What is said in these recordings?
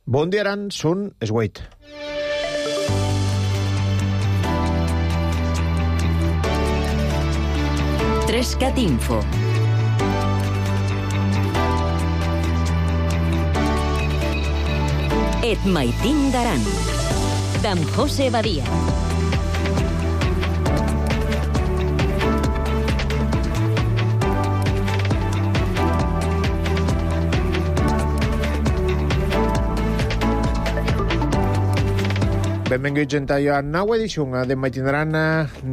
Bon dia, Aran, són es 8. Trescat Info. Et maitin d'Aran, d'en José Badia. Benvinguts a la nova edició de Maitinaran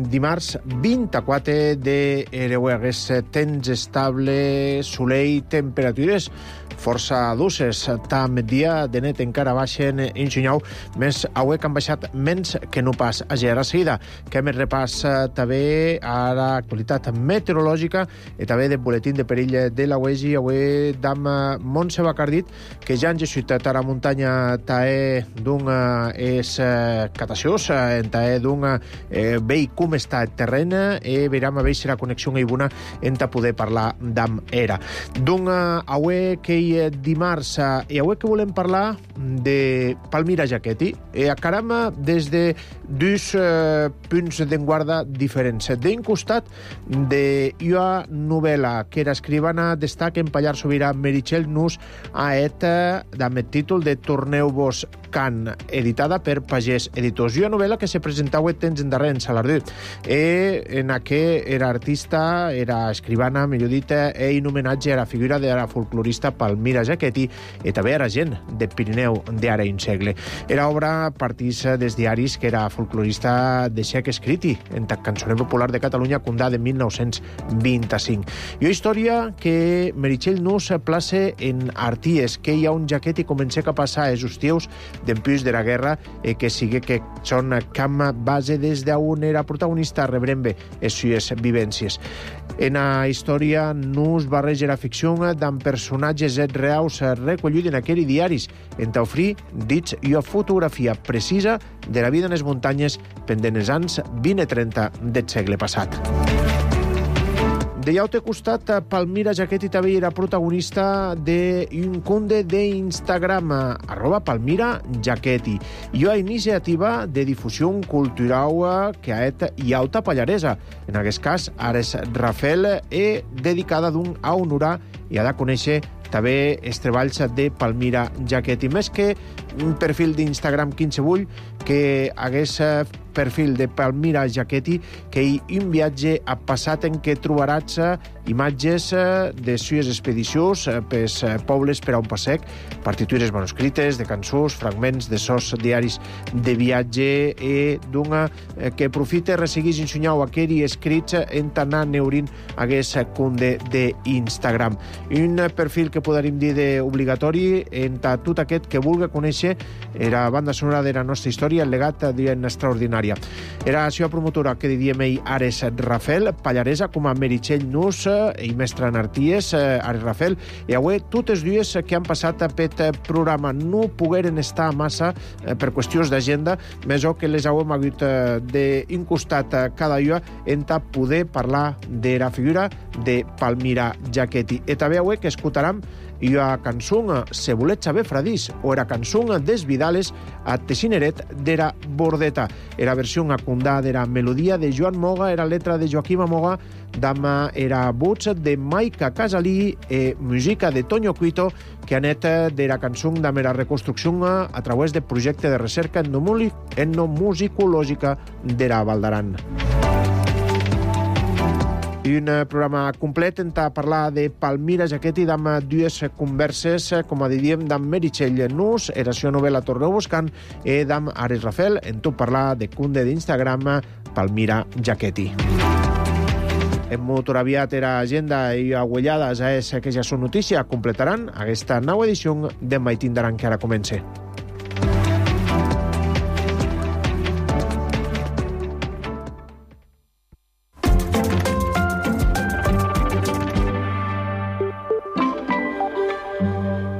dimarts 24 d'Ereuegues. Temps estable, solell, temperatures força duces. Tam dia de net encara baixen en Xunyau, més avui que han baixat menys que no pas ayer. A seguida, que hem repàs també a l'actualitat meteorològica i també de boletín de perill de la UEGI. Avui d'am Montse Bacardit, que ja han geixut a la muntanya tae d'un és cataciós, enta d'un vei com està el terreny i veram a veure si la connexió és bona enta poder parlar d'am era. D'un avui que dimarts, i avui que volem parlar de Palmira Giachetti, a caram des de dos punts d'enguarda diferents. D'un costat de una novel·la que era escrivana destaca en Pallar Sobirà Meritxell Nus a amb el títol de Torneu-vos Can, editada per Pagès Editors. Una novel·la que se presentava temps endarrer en Salardú. En què era artista, era escrivana, millor dit, en homenatge a la figura de la folclorista Palmira Giachetti i també era gent de Pirineu d'ara un segle. Era obra partís dels diaris que era folclorista de xec escriti en la cançoner popular de Catalunya condà de 1925. I una història que Meritxell Nus place en Arties, que hi ha un Giachetti comença a passar els hostius d'empús de la guerra que sigui que són camp base des d'on era protagonista rebrem bé les sues vivències. En la història Nus barreja la ficció d'en personatges reals recollits en aquells diaris en t'ofrir dits i una fotografia precisa de la vida en les muntanyes pendent els anys 20 i 30 del segle passat. De l'altre costat, Palmira Giachetti també era protagonista d'un compte d'Instagram, @Palmira Giachetti, i una iniciativa de difusió cultural que ha estat Iauta Pallaresa. En aquest cas, Ares Rafel, dedicada a honorar i a de conèixer també els treballs de Palmira Giachetti. Més que un perfil d'Instagram quinsevull, que hagués perfil de Palmira Giachetti, que hi un viatge a passat en què trobaràs imatges de sues expedicions pels pobles per a un passec, partitures manuscrites de cançons, fragments de sos diaris de viatge i d'una que aprofita i resseguís ensenyau aquell escrits en anar neurint hagués compte d'Instagram. Un perfil que podríem dir d'obligatori en tot aquest que vulgui conèixer la banda sonora de la nostra història, el legat d'en extraordinària. Era la seva promotora, que diríem ell, Ares Rafel, pallaresa com a Meritxell Nus i mestre en Arties, Ares Rafel, i avui totes dues que han passat per aquest programa no pogueren estar massa per qüestions d'agenda, més o que les hauem hagut d'un costat cada dia en poder parlar de la figura de Palmira Giachetti. I també avui que escoltarem i la cançó Se volet saber fradís o era cançó des Vidales a Teixineret d'era Bordeta. Era versió acundada d'era melodia de Joan Moga, era letra de Joaquim Moga, dama era voz de Maica Casalí i música de Toño Cuito, que ha anat de la cançó de la reconstrucció a través del projecte de recerca etnomusicològica d'era Val d'Aran. I un programa complet en parlar de Palmira Giachetti amb dues converses, com diríem, d'en Meritxell Nus, era la seva novel·la Torneu-vos Can, i d'en Ares Rafel, en tot parlar de compte d'Instagram Palmira Giachetti. En molt aviat era agenda i agüellades a que ja són notícia, completaran aquesta nova edició de Maitin d'Aran que ara comença.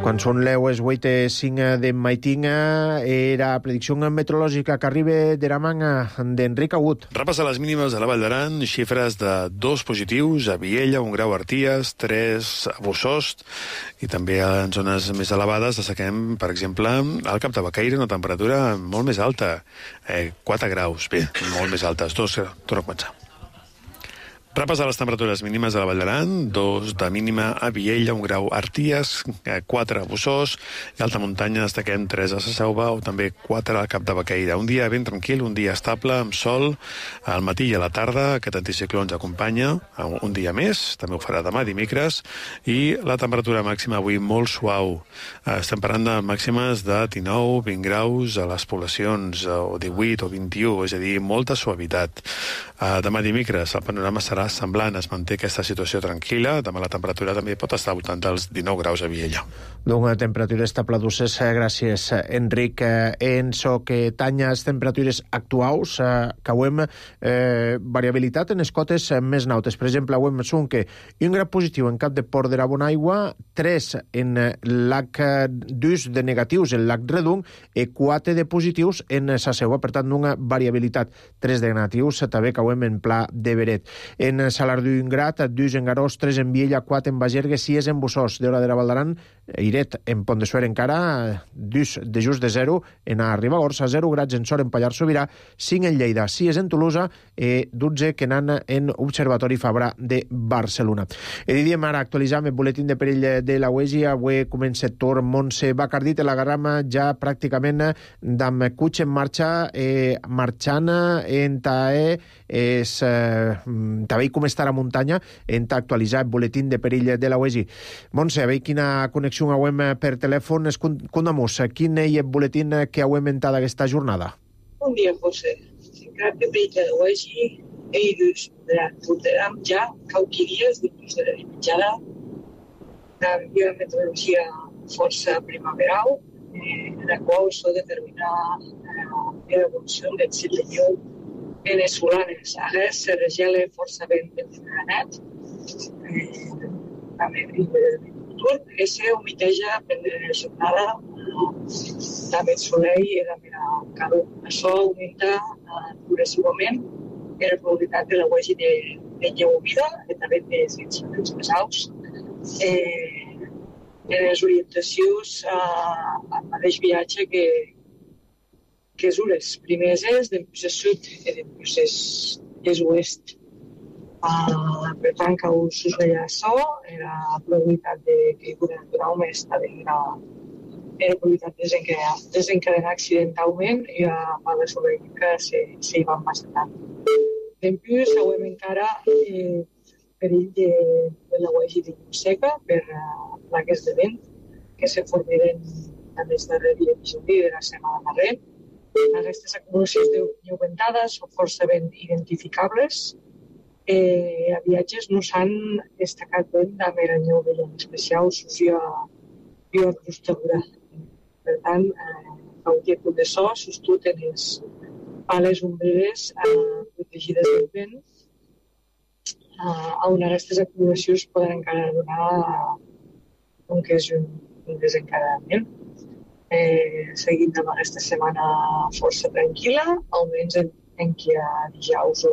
Quan Quan són les 8:05 de maitinga, era predicció meteorològica que arriba de la manga d'Enric Agut. Repassar les mínimes a la Vall d'Aran, xifres de 2 positius a Viella, 1 grau a Arties, 3 a Bussost, i també en zones més elevades destaquem, per exemple, al Cap de Baqueira, una temperatura molt més alta, 4 graus, bé, molt més altes, 2, torno a començar. Repassar les temperatures mínimes de la Vall d'Aran, 2 de mínima a Viella, 1 grau a Arties, 4 a Bussost, i alta muntanya destaquem 3 a la Selva o també 4 al Cap de Baqueira. Un dia ben tranquil, un dia estable, amb sol, al matí i a la tarda. Aquest anticicló ens acompanya un dia més, també ho farà demà, dimecres, i la temperatura màxima avui molt suau. Estem parlant de màximes de 19, 20 graus a les poblacions, o 18 o 21, és a dir, molta suavitat. Demà dimecres el panorama serà semblant, es manté aquesta situació tranquil·la. Demà la temperatura també pot estar al voltant dels 19 graus a Viella. Una temperatura estable d'uses, gràcies, Enric. En so que tanyes temperatures actuals, que avem variabilitat en les cotes més nautes. Per exemple, avem són que un grau positiu en Cap de Port de la Bonaigua, 3 en Lac d'Us de negatius, el Lac Redung, i 4 de positius en sa Seua. Per tant, una variabilitat. 3 de negatius, també que avem en Pla de Beret. En Salardú i Ingrat, 2 en Garós, 3 en Viella, 4 en Bagergue, 6 en Bussost. D'hora de la Val d'Aran, Iret en Pont de Suert encara, 2 de just de 0 en Ribagorça, 0 graus en Sort en Pallars Sobirà, 5 en Lleida, 6 en Tolosa i 12 que n'han en Observatori Fabra de Barcelona. Diem ara actualitzar el buletín de perill de la UEGI. Avui comença Tor Montse Bacardit, la Garrama ja pràcticament d'amb cutx en marxa, marxant en tae també com està la muntanya, en actualitzar el buletín de perill de la UEGI. Montse, a veure quina connexió hauem per telèfon. Condamos, quin és el buletín que hauem entrat aquesta jornada? Bon dia, José. Cap de perill de la UEGI, eidus portarem ja cauqui dies dins de la mitjana de meteorologia força primaveral, la qual s'ha determinar l'evolució del cicle lleu venezolanes. Ara se regela força vent net, també se humiteja per la jornada també el soleil i també la calor. Això augmenta progressivament la probabilitat de la UEGI de lleu humida i també dels incidents més alts. En les orientacions al mateix viatge que és les primeres és d'emprès sud i d'emprès és oest. Per tant, que us deia això, la probabilitat de caiguda natural més també la probabilitat de desencadenar accidentalment i a part sobre que s'hi van bastant. D'emprès, sabem encara perill de la UEGI de llum seca per plaques de vent que se formiren en els darrers dies de la setmana darrere. Aquestes acumulacions de lleuventades són força ben identificables. A viatges no s'han destacat vent amb el neu de llum especial sucia i crustadura. Per tant, qualsevol punt de so sostut en les pales ombreres protegides del vent, on aquestes acumulacions poden encara donar un que és un desencadenament. Seguint amb aquesta setmana força tranquil·la, almenys en què a dijous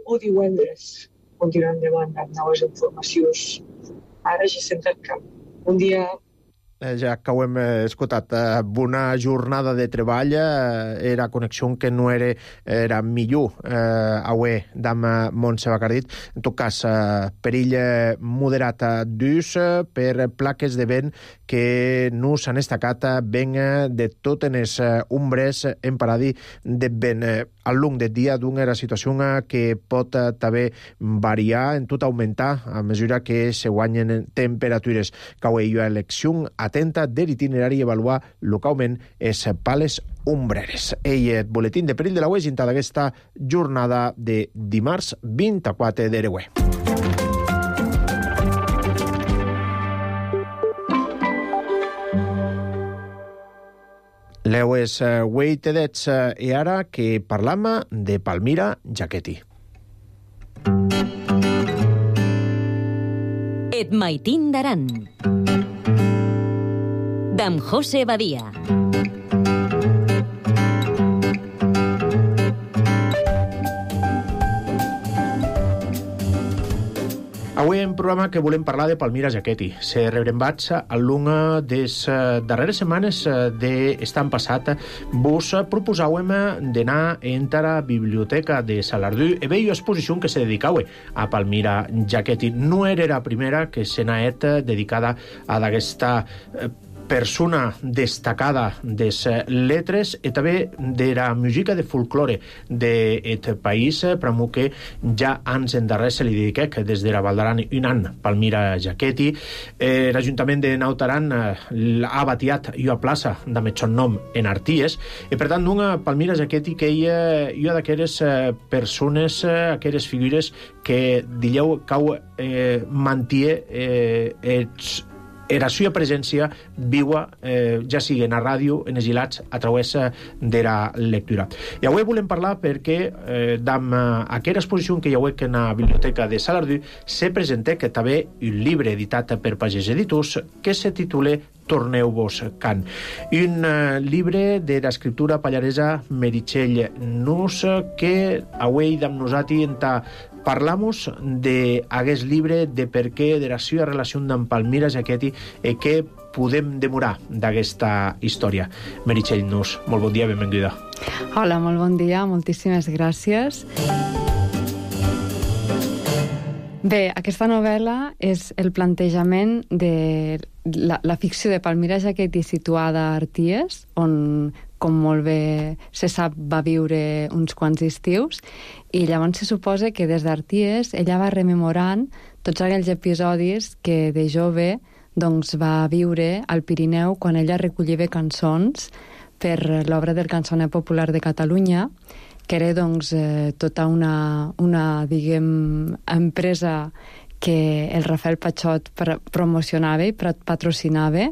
o divendres continuem davant amb noves informacions. Ara ja estem al camp. Un dia... Ja que ho hem escoltat, bona jornada de treball, era connexió que no era millor avui d'amb Montse Bacardit. En tot cas, perill moderat d'ús per plaques de vent que no s'han destacat ben de totes les ombres en paradi de vent. Al long del dia d'una situació que pot també variar, en tot augmentar a mesura que se guanyen temperatures. Cau hi ha elecció atenta de l'itinerari i avaluar localment les pales ombreres. El boletín de perill de la UEGI d'aquesta jornada de dimarts 24 d'Ereuer. Leues Weitedets i ara que parlam de Palmira Jaqueti. Et Maitín d'Aran. d'en José Badia. Avui en programa que volem parlar de Palmira Giachetti. Se rebrembats al lunga des darreres setmanes d'estan passat, vos proposàvem d'anar a la biblioteca de Salardú e veia exposició que se dedicava a Palmira Giachetti. No era la primera que se n'ha dedicada a d'aquesta persona destacada des letres i també de la música de folklore d'aquest país, però que ja anys endarrer se li dediquec des de la Val d'Aran un any, Palmira Giachetti. L'Ajuntament de Naut Aran ha batiat una plaça amb el nom en Arties, i per tant una Palmira Giachetti que ella una d'aquelles persones, aquelles figures que dilleu cau mantie la seva presència viua, ja sigui en la ràdio, en els gilats, a través de la lectura. I avui volem parlar perquè d'amb aquesta exposició que hi ha en la biblioteca de Salardú se presenta que també un llibre editat per Pagès Editors que se titula Torneu-vos Can. Un llibre de l'escriptura pallaresa Meritxell Nus que avui amb nosaltres parlamos d'aquest llibre, de per què, de la seva relació amb Palmira Giachetti i què podem demorar d'aquesta història. Meritxell Nus, molt bon dia, benvinguda. Hola, molt bon dia, moltíssimes gràcies. Bé, aquesta novel·la és el plantejament de la ficció de Palmira Giachetti situada a Arties, on, com molt bé se sap, va viure uns quants estius, i llavors se suposa que des d'Arties ella va rememorant tots aquells episodis que de jove doncs, va viure al Pirineu quan ella recollia cançons per l'obra del Cançoner Popular de Catalunya, que era doncs, tota una diguem, empresa que el Rafael Pachot promocionava i patrocinava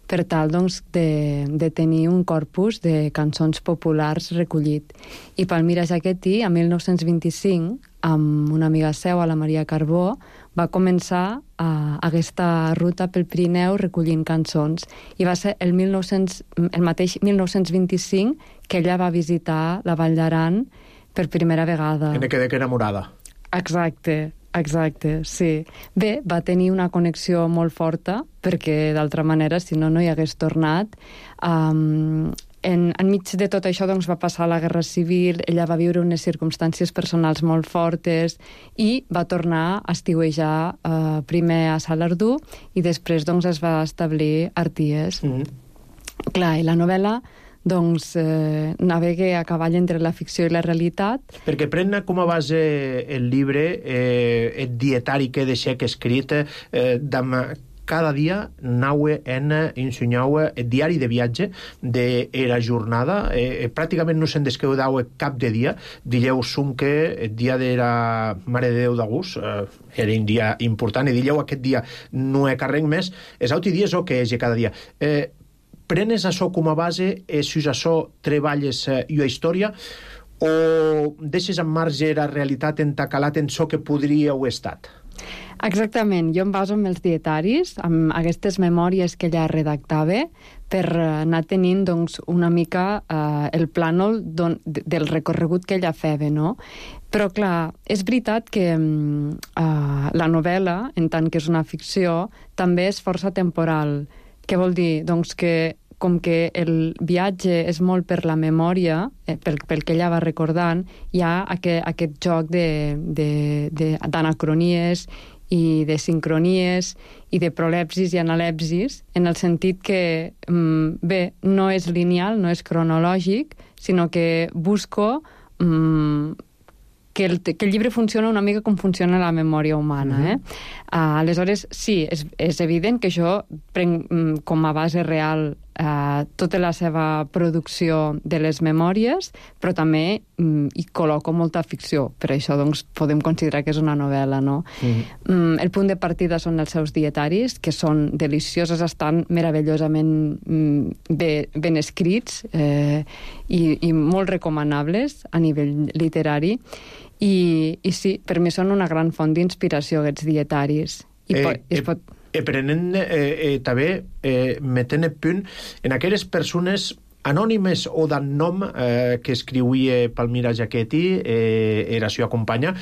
per tal doncs, de tenir un corpus de cançons populars recollit. I Palmira Giachetti, a 1925, amb una amiga seva, la Maria Carbó, va començar aquesta ruta pel Pirineu recollint cançons. I va ser el mateix 1925 que ella va visitar la Vall d'Aran per primera vegada. En quedé enamorada. Exacte, sí. Bé, va tenir una connexió molt forta, perquè d'altra manera, si no, no hi hagués tornat. Enmig de tot això doncs, va passar la Guerra Civil, ella va viure unes circumstàncies personals molt fortes i va tornar a estiuejar primer a Salardú i després doncs, es va establir a Arties. Clar, i la novel·la doncs navega a cavall entre la ficció i la realitat. Perquè pren com a base el llibre el dietari que deixec escrit cada dia naue en ensenyau el diari de viatge de la jornada. Pràcticament no se'n desqueudau cap de dia. Dilleu que el dia de la Mare de Déu d'Agost era un dia important i dilleu aquest dia no he carrec més. Els altres dies o que és cada dia. Prenes això com a base i si això treballes i la història o deixes en marge la realitat entacalat en això que podria haver estat? Exactament, jo em baso en els dietaris, amb aquestes memòries que ella redactava per anar tenint doncs, una mica el plànol del recorregut que ella feia, no? Però clar, és veritat que la novel·la, en tant que és una ficció, també és força temporal. Què vol dir? Doncs que com que el viatge és molt per la memòria, pel que ella va recordant, hi ha aquest joc d'anacronies i de sincronies i de prolepsis i analepsis, en el sentit que, bé, no és lineal, no és cronològic, sinó que busco que el llibre funciona una mica com funciona la memòria humana. Aleshores, sí, és evident que jo prenc com a base real tota la seva producció de les memòries, però també hi col·loco molta ficció. Per això doncs, podem considerar que és una novel·la, no? El punt de partida són els seus dietaris, que són deliciosos, estan meravellosament ben escrits i molt recomanables a nivell literari. I sí, per mi són una gran font d'inspiració aquests dietaris. prenent també metent el punt en aquelles persones anònimes o d'en nom que escriuia Palmira Giachetti, era seva companya,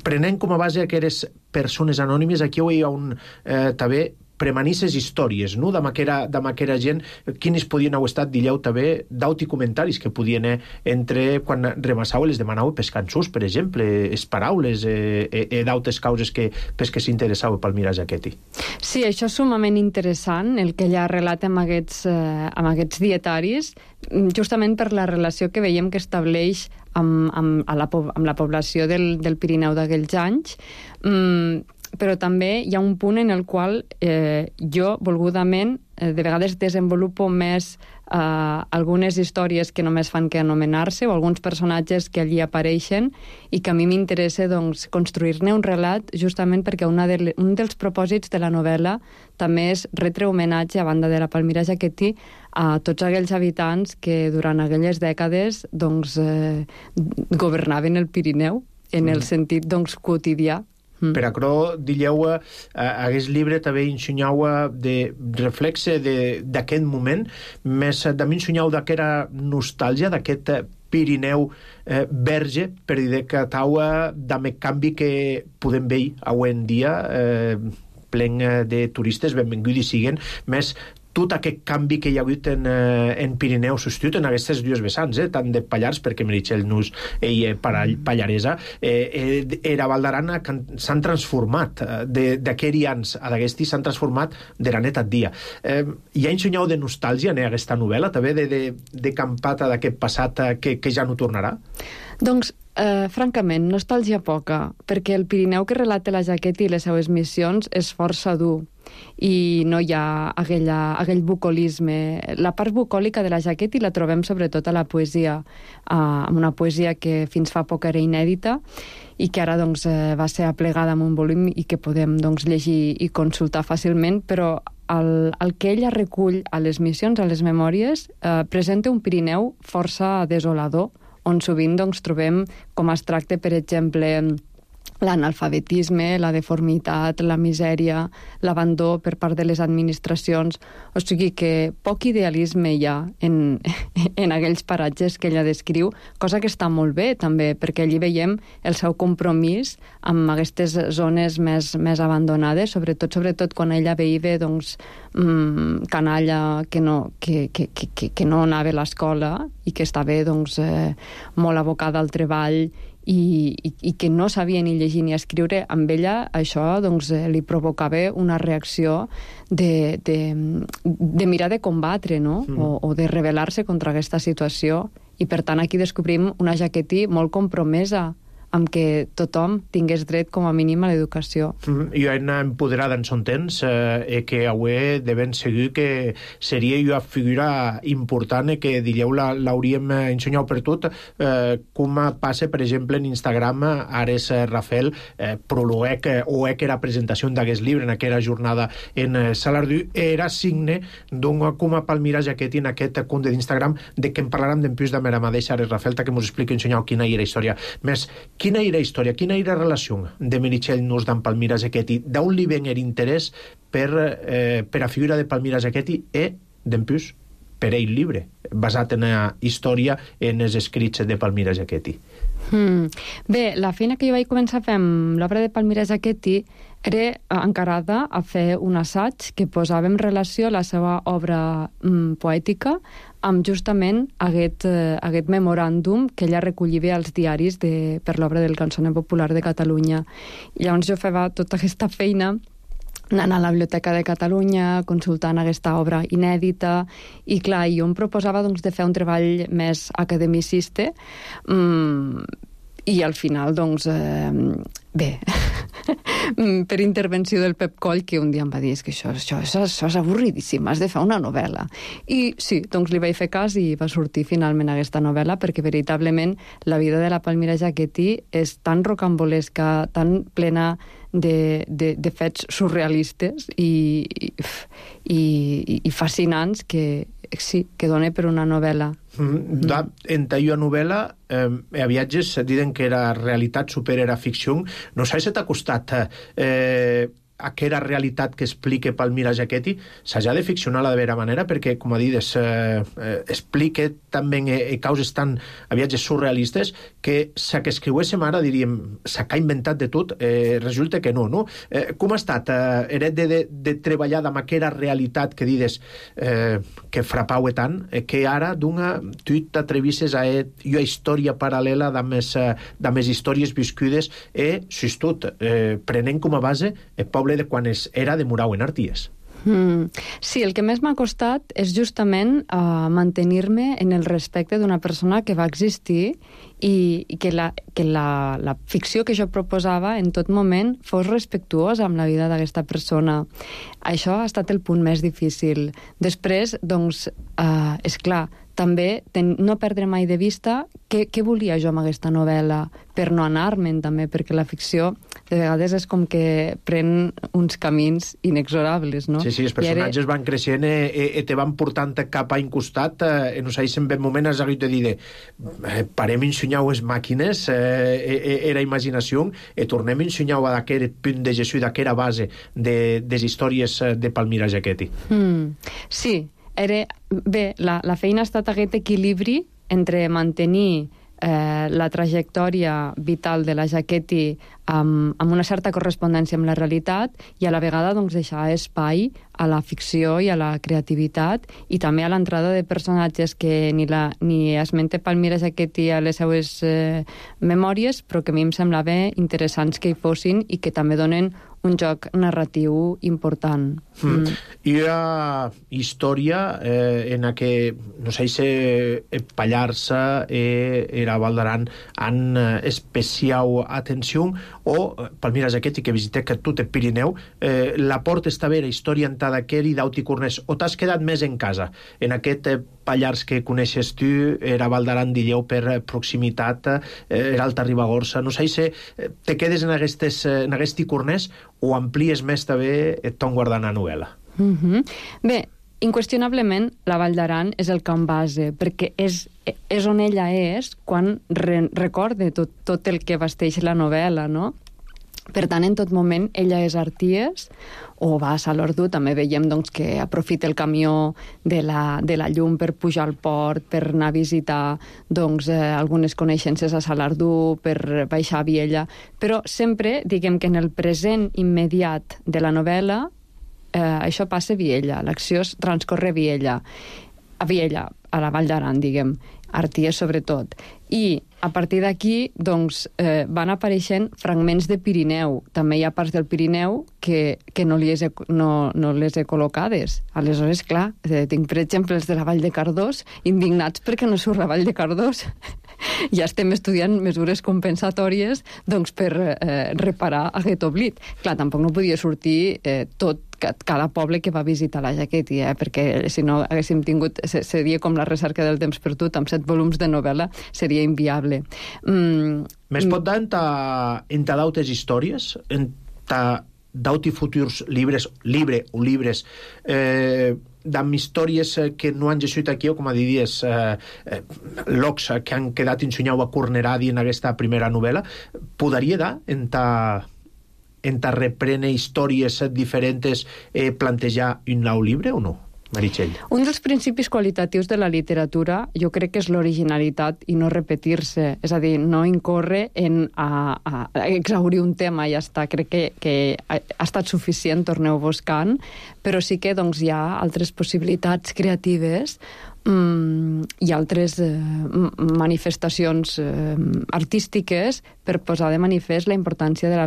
prenent com a base aquelles persones anònimes, aquí hi ha també premanisses històries, no? D'am aquera gent, quines podien haver estat, dilleu també, d'auti comentaris que podien entre quan remassau les demanau pels cançons, per exemple, es paraules d'autes causes que pels que s'interessau Palmira Giachetti. Sí, això és sumament interessant, el que ella relata amb aquests dietaris, justament per la relació que veiem que estableix amb la població del Pirineu d'aquells anys, però també hi ha un punt en el qual jo, volgudament, de vegades desenvolupo més algunes històries que només fan que anomenar-se o alguns personatges que allí apareixen i que a mi m'interessa construir-ne un relat justament perquè un dels propòsits de la novel·la també és retre homenatge, a banda de la Palmira Giachetti, a tots aquells habitants que durant aquelles dècades governaven el Pirineu en el sentit quotidià. Per aquerò, dilleu, aguest llibre també ensenyau de reflexe d'aquest moment, més també ensenyau d'aquesta nostàlgia, d'aquest Pirineu verge, per dir que tau d'ame canvi que podem veure avui en dia, plen de turistes, benvinguts siguen, més tot aquest canvi que hi ha hagut en Pirineu substitut en aquestes dues vessants, tant de Pallars, perquè Meritxell Nus ella pallaresa, era Val d'Aran, s'han transformat d'aquests anys a d'aquesti, s'han transformat de la nit al dia. Hi ha ensenyau de nostàlgia en aquesta novel·la, també de campata d'aquest passat que ja no tornarà? Doncs, francament, nostàlgia poca, perquè el Pirineu que relata la Giachetti i les seues missions és força dur i no hi ha aquell bucolisme. La part bucòlica de la Giachetti la trobem sobretot a la poesia, una poesia que fins fa poc era inèdita i que ara va ser aplegada en un volum i que podem llegir i consultar fàcilment, però el que ella recull a les missions, a les memòries, presenta un Pirineu força desolador, on sovint trobem com es tracta, per exemple, l'analfabetisme, la deformitat, la misèria, l'abandó per part de les administracions. O sigui que poc idealisme hi ha en aquells paratges que ella descriu, cosa que està molt bé també, perquè allí veiem el seu compromís amb aquestes zones més abandonades, sobretot quan ella veia canalla que no anava a l'escola i que estava molt abocada al treball i que no sabia ni llegir ni escriure. Amb ella això li provocava una reacció de mirar de combatre, no? O de rebel·lar-se contra aquesta situació. I per tant aquí descobrim una Giachetti molt compromesa amb que tothom tingués dret com a mínim a l'educació. I una empoderada en son temps que avui de ben segur que seria una figura important que diríeu l'hauríem ensenyat per tot, com passa per exemple en Instagram Ares Rafael prologuec o era presentació d'aquest llibre en aquella jornada en Salardú, era signe com a Palmira Giachetti en aquest compte d'Instagram de que en parlarem d'empús de mera mateixa Ares Rafael que ens expliqui ensenyar quina era història. Més, quina era història, quina era relació de Meritxell Nus d'en Palmira Giachetti? D'on li ven l'interès per a figura de Palmira Giachetti i, d'empús, per ell llibre, basat en la història en els escrits de Palmira Giachetti? Bé, la feina que jo vaig començar a fer amb l'obra de Palmira Giachetti era encarada a fer un assaig que posava en relació la seva obra poètica amb justament aquest memoràndum que ella recollia als diaris per l'obra del Cançoner Popular de Catalunya. I llavors jo feia tota aquesta feina anant a la Biblioteca de Catalunya, consultant aquesta obra inèdita, i clar, jo em proposava de fer un treball més academicista, i al final, bé, per intervenció del Pep Coll, que un dia em va dir que això és avorridíssim, has de fer una novel·la. I sí, li vaig fer cas i va sortir finalment aquesta novel·la, perquè veritablement la vida de la Palmira Giachetti és tan rocambolesca, tan plena de fets surrealistes i fascinants que sí, que dona per una novel·la. En talla novel·la a viatges diuen que era realitat supera ficció. No sé si t'ha costat aquella realitat que explica Palmira Giachetti s'ha de ficcionar de vera manera, perquè, com a dit, explica també causes tan a viatges surrealistes que sa que escriuéssim ara, diríem, sa que ha inventat de tot, resulta que no? Com ha estat de treballar amb aquella realitat que dides que frapau tant, que ara tu t'atrevisses a una història paral·lela amb les històries viscudes tot, prenent com a base el poble de quan era de Murau en Arties. Sí, el que més m'ha costat és justament mantenir-me en el respecte d'una persona que va existir i que la ficció que jo proposava en tot moment fos respectuosa amb la vida d'aquesta persona. Això ha estat el punt més difícil. Després, doncs, és clar, també no perdre mai de vista què volia jo amb aquesta novel·la, per no anar-me'n també, perquè la ficció de vegades és com que pren uns camins inexorables, no? Sí, els personatges van creixent i te van portant cap a un costat, no sé si en un moment has hagut de dir parem a ensenyar les màquines, era imaginació, i tornem a ensenyar d'aquest punt de gestió, d'aquesta base de les històries de Palmira Giachetti. Sí, bé, la feina ha estat aquest equilibri entre mantenir la trajectòria vital de la Giachetti amb una certa correspondència amb la realitat i a la vegada doncs, deixar espai a la ficció i a la creativitat i també a l'entrada de personatges que ni esmente Palmira Giachetti a les seues memòries, però que a mi em semblava interessants que hi fossin i que també donen un joc narratiu important. Hi ha història en la que, no sé si Pallars era Val d'Aran han especial atenció o Palmira Giachetti que visité que tot el Pirineu, la porta està bé la història en Tadaquer i d'Auti Cornès, o t'has quedat més en casa? En aquest Pallars que coneixes tu, era Val d'Aran d'Illeu per proximitat, era Alta Ribagorça, no sé si te quedes en aquest Cornès o amplies més també ton guardant a novel·la? Bé, inqüestionablement la Vall d'Aran és el camp base, perquè és on ella és quan recorda tot el que vesteix la novel·la, no? Per tant, en tot moment, ella és Arties, o va a Salordu, també veiem doncs, que aprofita el camió de la llum per pujar al port, per anar a visitar doncs, algunes coneixences a Salordu, per baixar a Viella, però sempre, diguem que en el present immediat de la novel·la, això passa a Viella, l'acció transcorre a Viella, a la Vall d'Aran, diguem, Arties sobretot. I a partir d'aquí doncs, van apareixent fragments de Pirineu. També hi ha parts del Pirineu que no les he col·locades. Aleshores, clar, tinc, per exemple, els de la Vall de Cardós, indignats perquè no surt la Vall de Cardós. Ja estem estudiant mesures compensatòries doncs, per reparar aquest oblit. Clar, tampoc no podia sortir tot cada poble que va visitar la Giachetti, perquè si no haguéssim tingut, seria com la recerca del temps perdut, amb 7 volums de novel·la, seria inviable. Més pot dar en dautes històries, en dauti futurs llibres d'amb històries que no han gessuit aquí, o com a diries locs que han quedat ensenyau a Corneradi en aquesta primera novel·la, podria dar en reprene històries diferents plantejar un nou llibre o no? Meritxell. Un dels principis qualitatius de la literatura jo crec que és l'originalitat i no repetir-se, és a dir, no incórrer en a exaurir un tema i ja està. Crec que ha estat suficient, torneu buscant, però sí que doncs, hi ha altres possibilitats creatives i altres manifestacions artístiques per posar de manifest la importància de la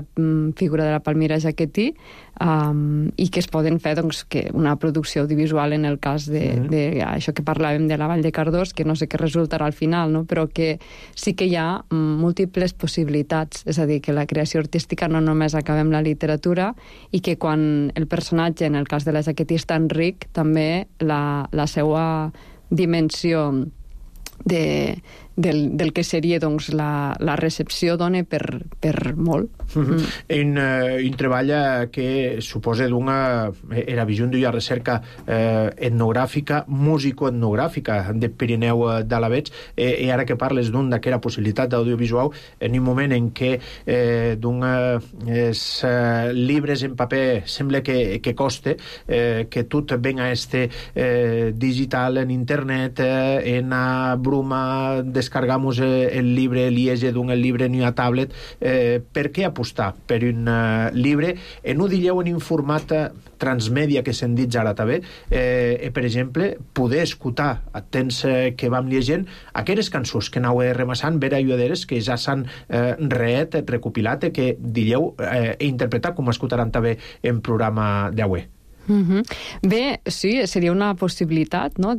figura de la Palmira Giachetti i que es poden fer doncs, que una producció audiovisual en el cas d'això que parlàvem de la Vall de Cardós, que no sé què resultarà al final, no? Però que sí que hi ha múltiples possibilitats, és a dir, que la creació artística no només acaba amb la literatura i que quan el personatge, en el cas de la Giachetti, és tan ric, també la seva dimensió de del que seria doncs, la recepció dona per molt. Un treball que suposa era visió d'una recerca etnogràfica, musicoetnogràfica de Pirineu d'Alavetz, i ara que parles d'aquesta possibilitat d'audiovisual, en un moment en què els llibres en paper sembla que coste, que tot venga digital en internet, en a bruma descargamos el llibre, liege d'un llibre en una tablet, per què apostar per un llibre en un dieu en un format transmèdia que se'n dit ara també, per exemple, poder escoltar a temps que vam llegint aquelles cançons que anau remassant vera lluaderes que ja s'han recopilat que dieu interpretar com escoltaran també en programa d'avui. Bé, sí, seria una possibilitat, no?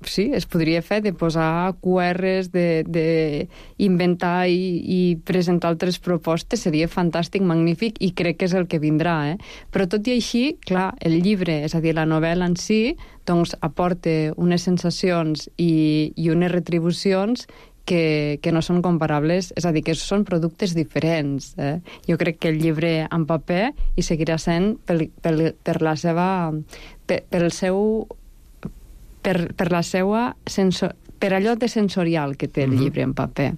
Sí, es podria fer de posar QRs, d'inventar i presentar altres propostes, seria fantàstic, magnífic, i crec que és el que vindrà, Però tot i així, clar, el llibre, és a dir, la novel·la en si, doncs aporta unes sensacions i unes retribucions que no són comparables, és a dir, que són productes diferents. Jo crec que el llibre en paper hi seguirà sent per la allò de sensorial que té el llibre en paper.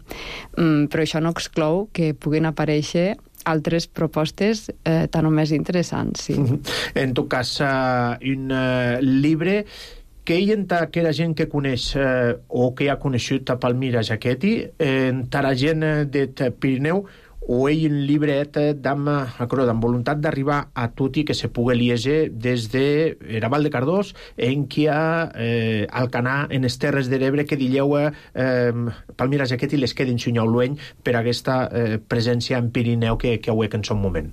Però això no exclou que puguin aparèixer altres propostes tan o més interessants, sí. En tot cas, un llibre que hi ha aquella gent que coneix o que ha conegut a Palmira Jaqueti, entre la gent de Pirineu, o hi un llibret amb voluntat d'arribar a tot i que se pugui llegir des de la Val de Cardós, en qui hi ha Alcanar, en les Terres de l'Ebre, que dieu Palmira Jaqueti les quedin xunyau lueny per aquesta presència en Pirineu que avui en son moment.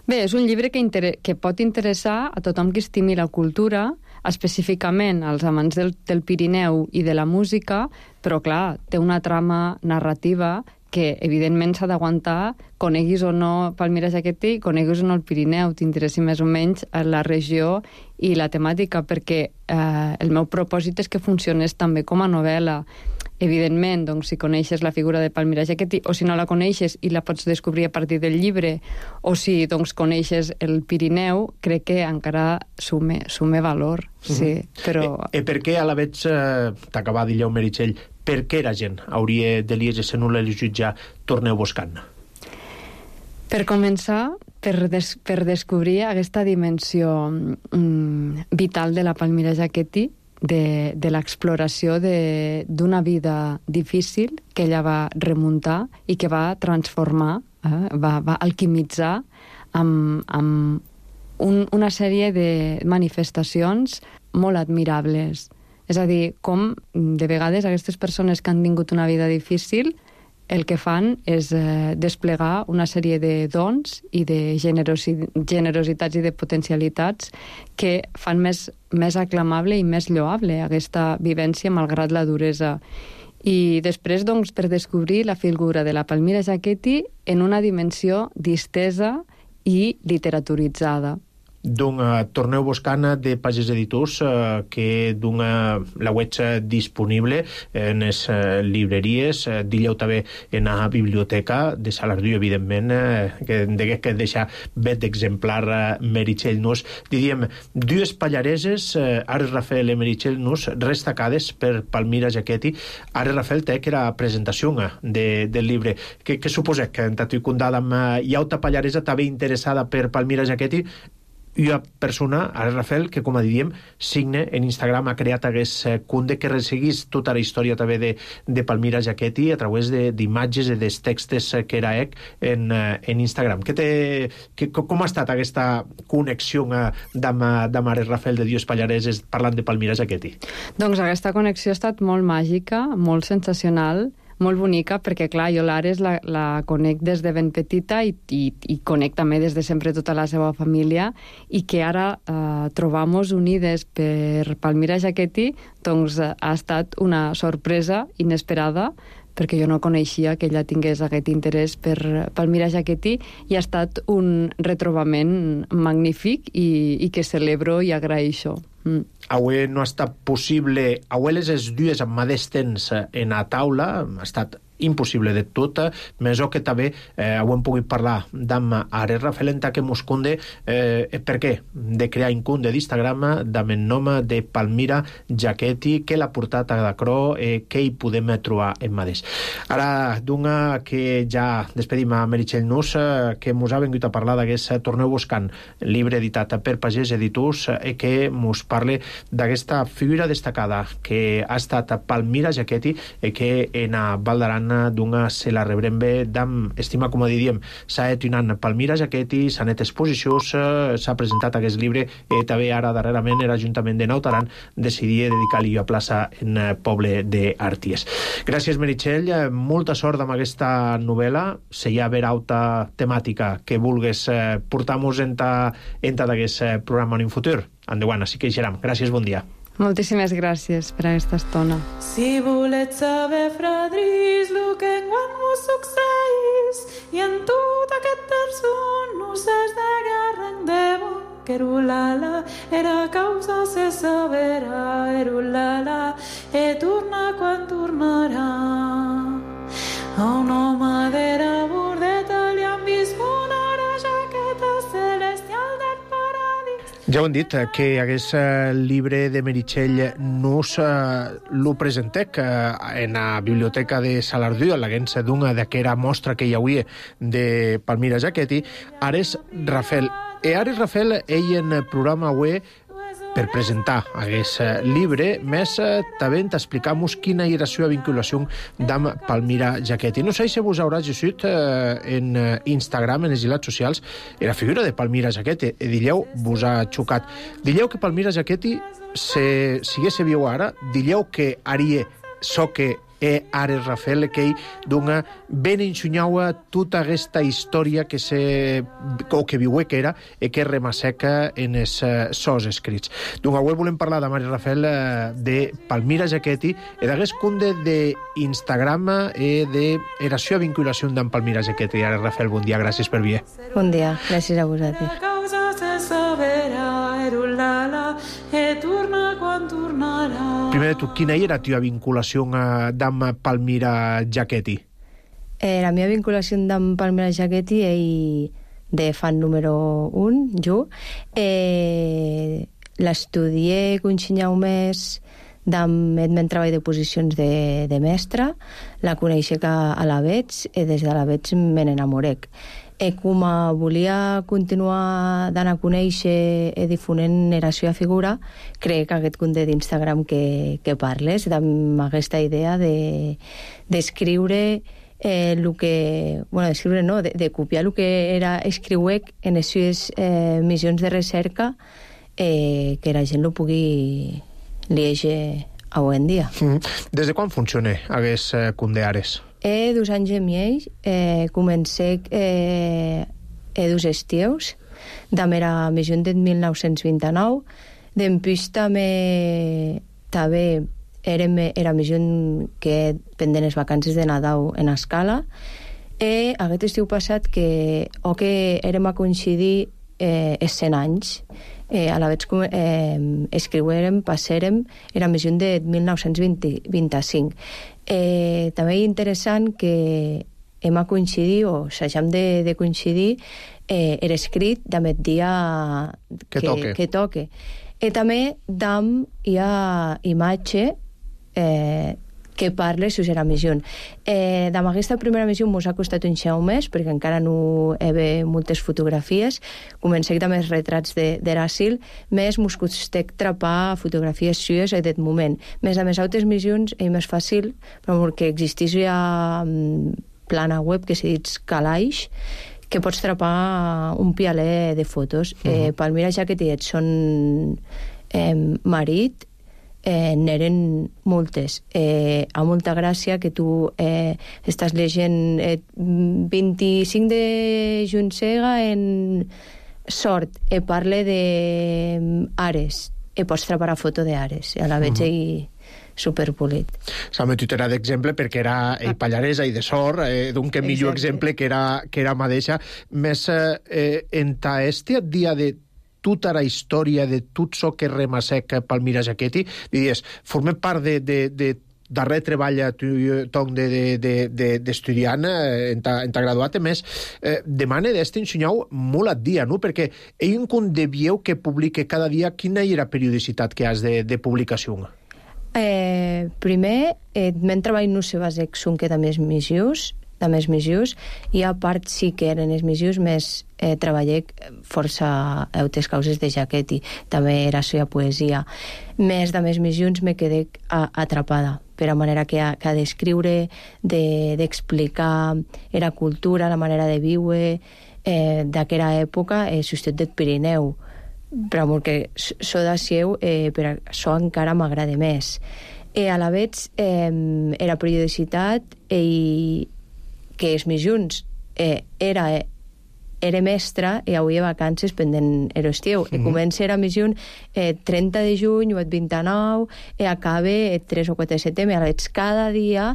Bé, és un llibre que pot interessar a tothom que estimi la cultura, específicament als amants del Pirineu i de la música, però clar, té una trama narrativa que evidentment s'ha d'aguantar, coneguis o no Palmira Jaqueti, coneguis o no el Pirineu, t'interessi més o menys la regió i la temàtica, perquè el meu propòsit és que funcionés també com a novel·la. Evidentment, doncs, si coneixes la figura de Palmira Jaqueti, o si no la coneixes i la pots descobrir a partir del llibre, o si doncs, coneixes el Pirineu, crec que encara sume valor. Sí, però... per què a la vegada t'acaba de dir Meritxell, per què la gent hauria de llegir si no l'ha llegit ja Torneu buscant? Per començar, per descobrir aquesta dimensió vital de la Palmira Jaqueti, de l'exploració d'una vida difícil que ella va remuntar i que va transformar, va alquimitzar amb una sèrie de manifestacions molt admirables. És a dir, com de vegades aquestes persones que han tingut una vida difícil el que fan és desplegar una sèrie de dons i de generositats i de potencialitats que fan més aclamable i més lloable aquesta vivència malgrat la duresa. I després, doncs, per descobrir la figura de la Palmira Jaqueti en una dimensió distesa i literaturitzada. Torneu buscant de Pagès Editors, que la web disponible en les llibreries, dilleu també en la biblioteca de Salardú, evidentment, que degués que deixar bet d'exemplar Meritxell Nus. Diríem, dues pallareses, Ares Rafael i Meritxell Nus, destacades per Palmira Jaqueti. Ares Rafael té que era presentació del llibre. Què suposeu que en Tatu Condada hi ha una pallaresa també interessada per Palmira Jaqueti? I una persona, Ares Rafael, que, com diríem, signe en Instagram, ha creat aquest conte que resseguís tota la història també de Palmira Jaqueti a través d'imatges i dels textos que era en Instagram. Com ha estat aquesta connexió amb Ares Rafael de Dios Pallareses parlant de Palmira Jaqueti? Doncs aquesta connexió ha estat molt màgica, molt sensacional, molt bonica, perquè, clar, jo l'Ares la conec des de ben petita i conec també des de sempre tota la seva família, i que ara trobamos unides per Palmira Jaqueti, doncs ha estat una sorpresa inesperada, perquè jo no coneixia que ella tingués aquest interès per Palmira Jaquetti, i ha estat un retrobament magnífic i que celebro i agraeixo. Avui no ha estat possible, avui les dues amb mateix temps en a taula, ha estat impossible de tot, més o que també ho hem pogut parlar d'amb Ares Rafel en que mos conde per què de crear un compte d'Instagram amb el nom de Palmira Jaquetti, que l'ha portat a Dacro, que hi podem trobar en mateix. Ara, d'una que ja despedim a Meritxell Nus, que mos ha vengut a parlar d'aquest Torneu buscant, llibre editat per Pagès Editors, que mos parle d'aquesta figura destacada que ha estat Palmira Jaquetti, que en a Val d'Aran d'una se la rebrem bé d'am estima, com diríem, s'ha etunant Palmira Jaquetti, s'ha net exposicions, s'ha presentat aquest llibre, i també ara darrerament l'Ajuntament de Naut Aran decidia dedicar-li a plaça en poble d'Arties. Gràcies, Meritxell, molta sort amb aquesta novel·la, si hi ha haver alta temàtica que vulgues portar-nos en d'aquest programa en un futur, endavant, així que hi serem. Gràcies, bon dia. Moltíssimes gràcies per aquesta estona. Si volets saber, fradris, lo que enguany vos succeís, i en tot aquest terçon no s'és de guerra en debo, que erulala era causa se sabera, erulala, e torna quan tornarà. A un home d'era bordeta li han vist una jaqueta celestial del paradís. Ja ho hem dit, que aquest llibre de Meritxell Nus lo presentec en la biblioteca de Salardú, a l'agència d'una d'aquera mostra que hi havia de Palmira Jaquetti, Ares Rafel. E Ares Rafel, ell en programa web per presentar aquest llibre, més també t'explicam-nos quina era la seva vinculació amb Palmira Jaquetti. No sé si vos haurà llegit en Instagram, en les xarxes socials, la figura de Palmira Jaquetti. Dilleu, vos ha xocat. Dilleu que Palmira Jaquetti, si hagués viu ara, dilleu que haria so que Ares Rafel, que dona ben enxunyaua tota aquesta història que que viu que era i que remasseca en els sos escrits. Doncs avui volem parlar de Ares Rafel, de Palmira Jaquetti, i d'aquest conte d'Instagram i de la seva vinculació amb Palmira Jaquetti. Ares Rafel, bon dia, gràcies per venir. Bon dia, gràcies a vosaltres. Primer de tot, quina era la teva vinculació amb Palmira Jaquetti? La meva vinculació amb Palmira Jaquetti és de fan número 1, jo. L'estudié un més amb el meu treball de posicions de mestra, la coneixec a la veig i des de la veig me n'enamorec. Com volia continuar d'anar a conèixer i difonent la seva figura, crec que aquest compte d'Instagram que parles, amb aquesta idea d'escriure el que... Bueno, d'escriure no, de copiar el que era escriuec en les seves missions de recerca, que la gent ho pugui llegir avui en dia. Des de quan funciona aquest compte d'Ares? 2 anys i mig, comencé 2 estius, de mera missió de 1929, d'empús també era missió que pendent les vacances de Nadal en escala, i aquest estiu passat que érem a coincidir 100 anys, a la vegada escriurem, passarem, era missió de 1925. També és interessant que hem a coincidir, o s'hagem de coincidir, era escrit d'aquest dia que toque. I també hi ha imatge que parla sobre la missió. Amb aquesta primera missió mos ha costat un xeu més, perquè encara no hi havia moltes fotografies. Comencem amb els retrats de l'asil, més mos costec trapar fotografies sues en aquest moment. Més a més altres missions és més fàcil, però perquè existeix ja plana web que se dit Calaix, que pots trapar un pialer de fotos. Palmira Jaquetti et son marit, n'eren moltes. A molta gràcia que tu estàs llegint 25 de Juncega en Sort, parla d'Ares, pots trapar a foto d'Ares, a la veig superpolit. S'ha metut era d'exemple perquè era pallaresa i de sort, d'un que millor exemple que era mateixa. Més enta este dia de tota la història de tot això que remassec Palmira Giachetti, diries, forma part de darrer treball d'estudiant enta graduat, més demana d'este ensenyau molt al dia, no? Perquè ell devieu que publique cada dia. Quina era la periodicitat que has de publicació? Primer, men treball no se basa que també és missions, i a part sí que eren els missions, més treballé força altres causes de Giachetti, també era la poesia. Més de més missions me quedé atrapada, per a manera que ha d'escriure, d'explicar la cultura, la manera de viure d'aquella època, justet del Pirineu, però que so de Sieu, per això encara m'agrada més. A la vez, la periodicitat que els missions era mestra i avui a vacances pendent l'estiu. Comença la missió 30 de juny o el 29 i acaba el 3 o 4 de setembre. Aleshores, cada dia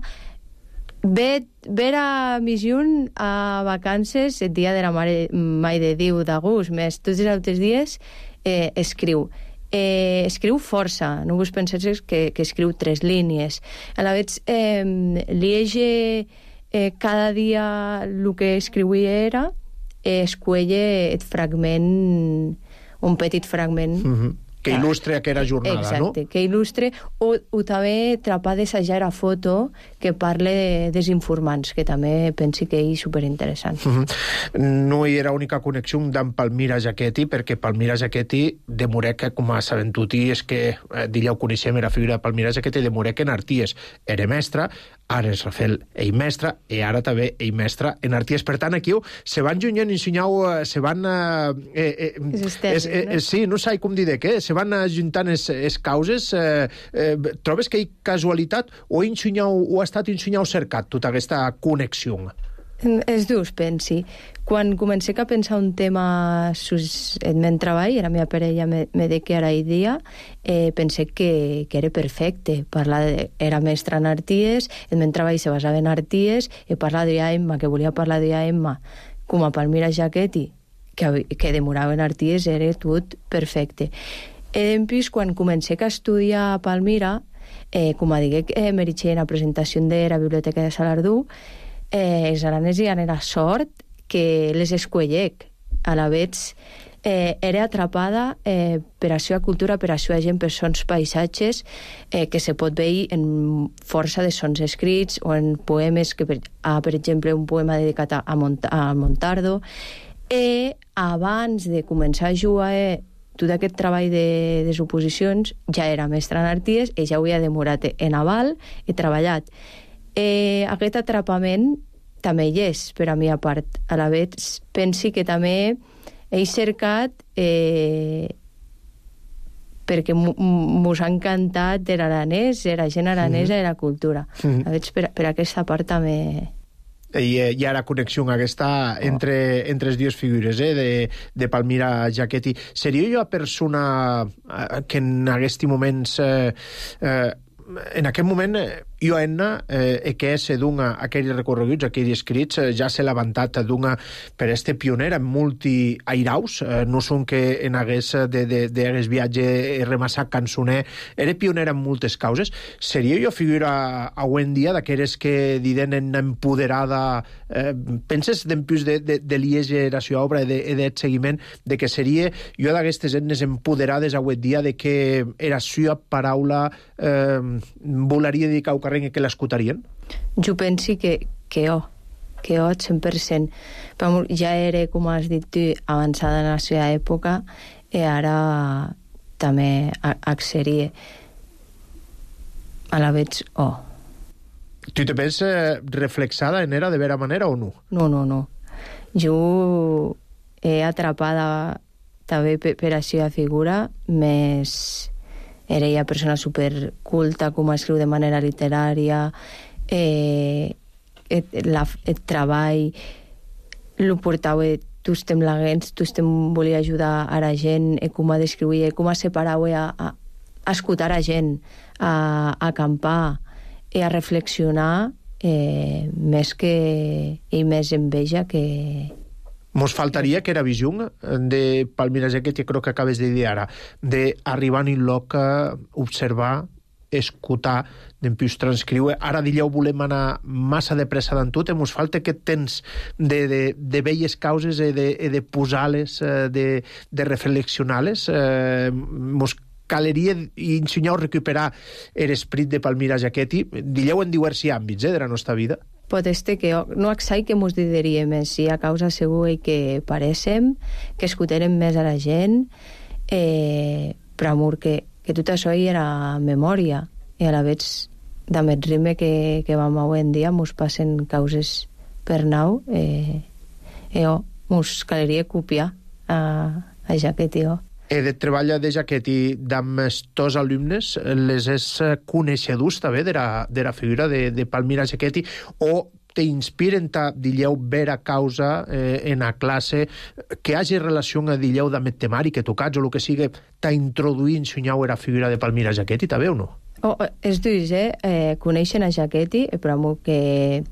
ve la missió a vacances el dia de la Mare de Déu d'agost, més tots els altres dies escriu. Escriu força, no vos penseu que escriu 3 línies. A la vez liege cada dia el que escriuia era, escuelle el fragment, un petit fragment que il·lustre aquella jornada, exacte, no? Exacte, que il·lustre, o també trapar d'assajar la foto que parle dels informants, que també pensi que és superinteressant. No hi era única connexió amb Palmira Giachetti, perquè Palmira Giachetti demorec, com a sabent tutti, és que d'ella ho coneixem, era figura de Palmira Giachetti, demorec en Arties. Era mestra, ara és Rafael ell mestre, i ara també ell mestre en Arties. Per tant, aquí se van junyent i se van... Sí, no sé com dir de què, se van ajuntant les causes. Trobes que hi ha casualitat o ha estat ensenyau cercat tota aquesta connexió? Els dos, pensi. Quan comencé a pensar un tema en meu treball, la meva parella me deia que ara i dia, pensé que era perfecte. Era mestra en Arties, el meu treball se basava en Arties, i parlar d'Emma, que volia parlar d'Emma, com a Palmira Giachetti, que demorava en Arties, era tot perfecte. En plus, quan comencé a estudiar a Palmira, com a digué meritxé en la presentació de la Biblioteca de Salardú, els aranès hi era sort que les escuellec. A la vez, era atrapada per a la seva cultura, per a la seva gent, per sons paisatges, que se pot veure en força de sons escrits o en poemes, per exemple, un poema dedicat a Montardo. Abans de començar a jugar tot aquest treball de oposicions, ja era mestre en Arties i ja havia demorat en aval i treballat. Aquest atrapament també hi és, per a mi a part. A la vez, pensi que també he cercat perquè mos ha encantat l'aranès, la gent aranesa i la cultura. A veure, per aquesta part també... Hi ha la connexió aquesta entre les dues figures de Palmira Giachetti. Seria jo la persona que en aquests moments en aquest moment jo que és aquells recorreguts, aquells escrits, ja s'ha levantat per este pionera en multi airaus, no són que en hagués d'aquest viatge remassat cançoner, era pionera en moltes causes. Seria jo figura avui en dia d'aquelles que diden en empoderada, penses d'empús de liege la seva obra i del seguiment, de que seria jo d'aquestes etnes empoderades avui en dia, de que era seva paraula volaria dedicar al carrer que l'escoltarien? Jo penso que 100%. Però ja era, com has dit tu, avançada en la seva època i ara també accediria a la vez. Tu te penses reflexada en era de vera manera o no? No. Jo he atrapada també per la seva figura, més... Era una persona superculta, com escriu de manera literària, el treball lo portava tots temlaguents, tots volia ajudar a la gent, com a descriuia, com a separava escoltar a gent, a acampar i a reflexionar més enveja que... Mos faltaria que era visió de Palmira Jaqueti, crec que acabes de dir ara, d'arribar en un lloc, observar, escoltar, d'empius transcriure. Ara dieu volem anar massa de pressa d'en tot, mos falta aquest temps de velles causes i de posar-les, de reflexionar-les. Mos caleria ensenyar o recuperar l'esperit de Palmira Jaqueti, dieu en diversos àmbits de la nostra vida. Pot ser que no exai que mos diria més, si a causa segur que pareixem, que escoltarem més a la gent, per amor que tot això hi era memòria, i a la vegada amb el ritme que vam avui en dia mos passen causes per nau, mos caleria copiar a Jaqueti. De treball de Jaqueti amb tots alumnes, les és coneixedors també de la figura de Palmira Jaqueti, o t'inspiren, dilleu, vera causa en la classe, que hagi relació, dilleu, amb el temari que tocats o el que sigui, t'introduir, ensenyau la figura de Palmira Jaqueti, també o no? És durs, coneixen a Jaqueti, però que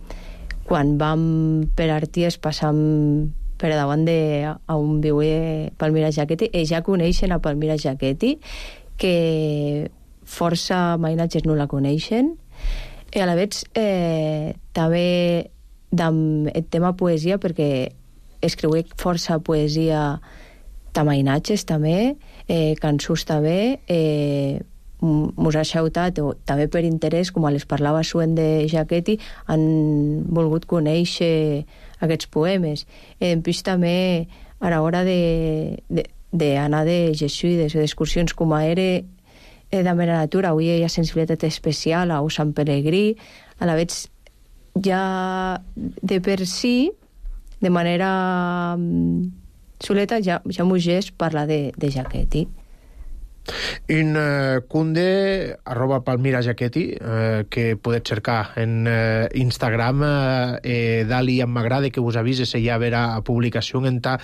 quan vam per Arties passam per davant on viu Palmira Jaqueti, i ja coneixen a Palmira Jaqueti, que força mainatges no la coneixen, i a la vegada també amb el tema poesia, perquè escriu força poesia de mainatges també, cançons també, mos ha xautat, o també per interès, com les parlava suen de Jaqueti, han volgut conèixer aquests poemes. Després també a l'hora d'anar de jesuïdes o d'excursions com a era de mera natura, avui hi ha sensibilitat especial a Sant Pelegrí, a la vegada ja de per si, de manera soleta, ja mos parla de Jaqueti. Un cunde @Palmira Jaqueti, que podeu cercar en Instagram, dali em m'agrada que vos avises ja a veure a publicació en ta.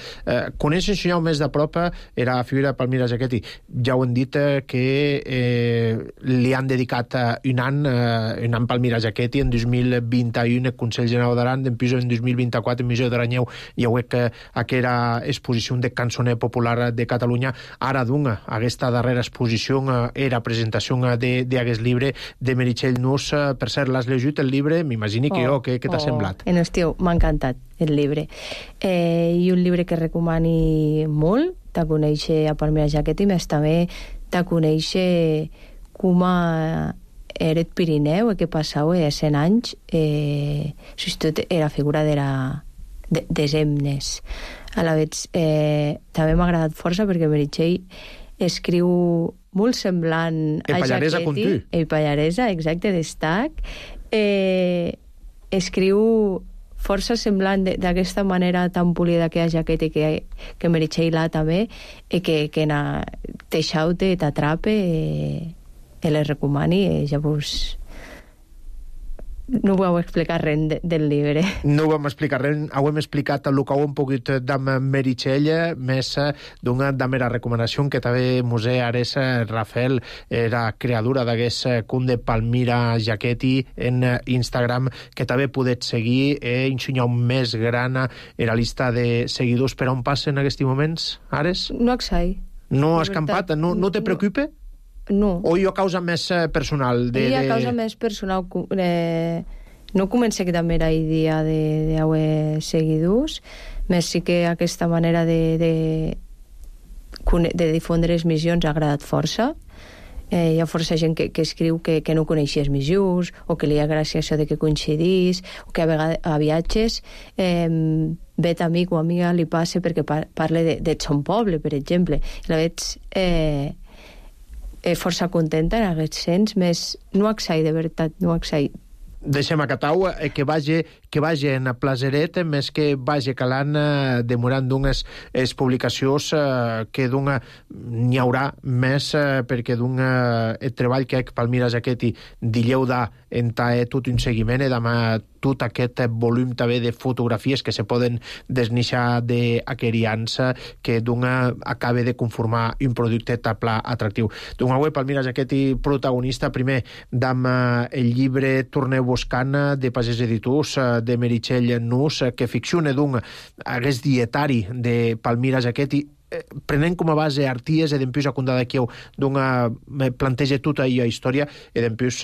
Coneix ensenyau més de prop era figura de Palmira Jaqueti. Ja ho hem dit que li han dedicat un any Palmira Jaqueti en 2021 el Consell General d'Aran, en 2024 en Missió d'Aranyeu hi ha que aquella exposició de cançoner popular de Catalunya. Ara d'una, aquesta darrera exposició era presentació d'aquest llibre de Meritxell Nus. Per cert, l'has llegit el llibre? M'imagini que què t'ha semblat? Estiu, m'ha encantat el llibre. I un llibre que recomani molt, de conèixer a Palmira Jaqueti, més també de conèixer com era el Pirineu, que passava a 100 anys, sobretot era figura des himnes. A la vegada també m'ha agradat força perquè Meritxell escriu molt semblant a Jaqueti. El Pallaresa, exacte, destac. Escriu força semblant d'aquesta manera tan polida que hi ha Jaqueti, que Meritxell també, i que te xaute, t'atrape, i les recomani, ja vos... No ho vau explicar res del llibre. No ho vam explicar res, ho hem explicat el que ho hem pogut d'amb Meritxell, més d'una mera recomanació que també Museu Ares Rafael era creadora d'aquest cunt de Palmira Jaqueti en Instagram, que també podeu seguir i ensenyar més gran la llista de seguidors. Per on passen en aquests moments, Ares? No exai. No has campat? No te preocupa? No. O hi ha causa més personal? Hi ha causa més personal. No comença que també era idea d'haver seguidors, més sí que aquesta manera de difondre les missions ha agradat força. Hi ha força gent que escriu que no coneixia les missions, o que li ha gràcia això de que coincidís, o que a vegades a viatges vet amic o amiga li passa perquè parla de son poble, per exemple. I la veig força contenta en aquest sens, més no exai, de veritat, no exai. Deixem a Catau, que vagi que vagi en plazeret, més que vagi calant demorant d'unes publicacions que n'hi haurà més perquè el treball que Palmira Jaqueti dilleu da entà tot un seguiment i demà tot aquest volum també de fotografies que se poden desnixar d'aquerians que acaba de conformar un producte tapla atractiu. Avui Palmira Jaqueti protagonista primer d'amb el llibre Torneu buscant de Pagès Editors de Meritxell Nus que ficciona hagués dietari de Palmira Jaqueti prenent com a base arties i d'empús acundada aquí planteja tota la història i d'empús